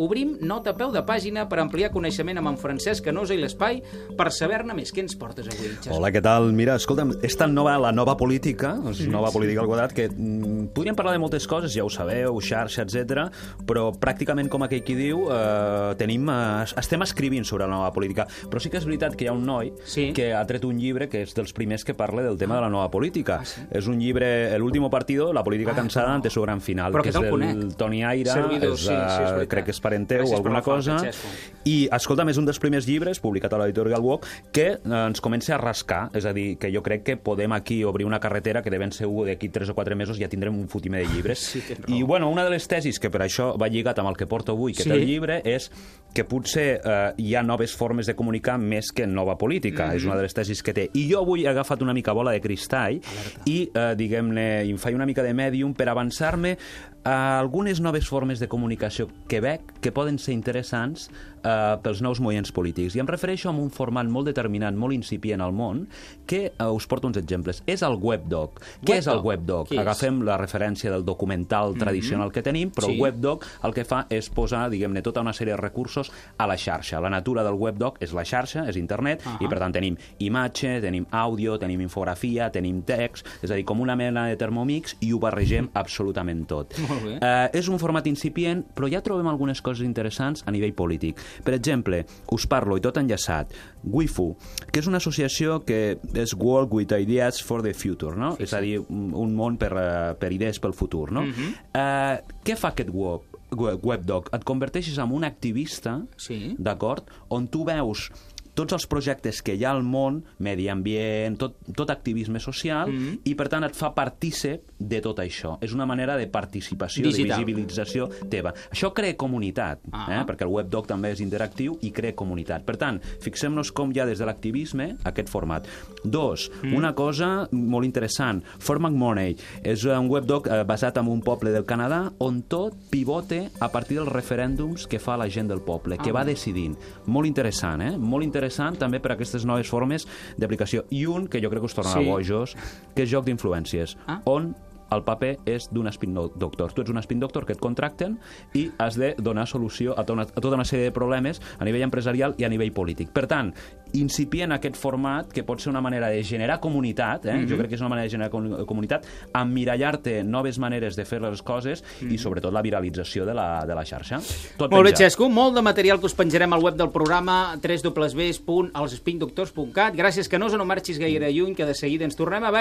Obrim nota a peu de pàgina per ampliar coneixement amb en Francesc Canosa i l'Espai per saber-ne més. Què ens portes avui, Xesco? Hola, què tal? Mira, escolta'm, és tan nova la nova política, nova política al quadrat, que podríem parlar de moltes coses, ja ho sabeu, xarxa, etc. Però pràcticament, com aquell qui diu, estem escrivint sobre la nova política. Però sí que és veritat que hi ha un noi que ha tret un llibre que és dels primers que parla del tema de la nova política. És un llibre, El último partido, la política cansada ante su gran final, que és del Toni Aira, crec que és parent teu o alguna cosa, i escolta'm, és un dels primers llibres publicat a l'editorial Wok que ens comença a rascar, és a dir, que jo crec que podem aquí obrir una carretera que de ben segur d'aquí 3 o 4 mesos ja tindrem un fotimer de llibres. I bueno, una de les tesis que per això va lligat amb el que porto avui, que té el llibre, és que potser hi ha noves formes de comunicar més que nova política. És una de les tesis que té. I jo avui he agafat una mica bola de cristall i, diguem-ne, em faig una mica de mèdium per avançar-me a algunes noves formes de comunicació que veig que poden ser interessants pels nous moviments polítics. I em refereixo a un format molt determinat, molt incipient al món, que us porto uns exemples. És el webdoc. Què és el webdoc? Agafem la referència del documental tradicional que tenim, però el webdoc el que fa és posar, diguem-ne, tota una sèrie de recursos a la xarxa. La natura del webdoc és la xarxa, és internet, i per tant tenim imatge, tenim àudio, tenim infografia, tenim text, és a dir, com una mena de Thermomix, i ho barregem absolutament tot. És un format incipient, però ja trobem algunes coses interessants a nivell polític. Per exemple, us parlo, i tot enllaçat, WIFU, que és una associació que és World with Ideas for the Future, no? És a dir, un món per idees pel futur, no? Què fa aquest webdoc? Et converteixes en un activista, d'acord? On tu veus tots els projectes que hi ha al món, medi ambient, tot activisme social, i per tant et fa partícip de tot això. És una manera de participació, de visibilització teva. Això crea comunitat, perquè el webdoc també és interactiu i crea comunitat. Per tant, fixem-nos com hi ha des de l'activisme aquest format. 2, una cosa molt interessant, For McMoney és un webdoc basat en un poble del Canadà on tot pivote a partir dels referèndums que fa la gent del poble, que va decidint. Molt interessant, molt interessant també per aquestes noves formes d'aplicació. I un que jo crec que us tornarà bojos, que és joc d'influències, on el paper és d'un spin doctor. Tu ets un spin doctor que et contracten i has de donar solució a tota una sèrie de problemes a nivell empresarial i a nivell polític. Per tant, incipient aquest format, que pot ser una manera de generar comunitat, jo crec que és una manera de generar comunitat, emmirallar-te noves maneres de fer les coses i sobretot la viralització de la xarxa. Molt bé, Xesco, molt de material que us penjarem al web del programa www.elspindoctors.cat. Gràcies, Canosa, no marxis gaire lluny, que de seguida ens tornem a veure.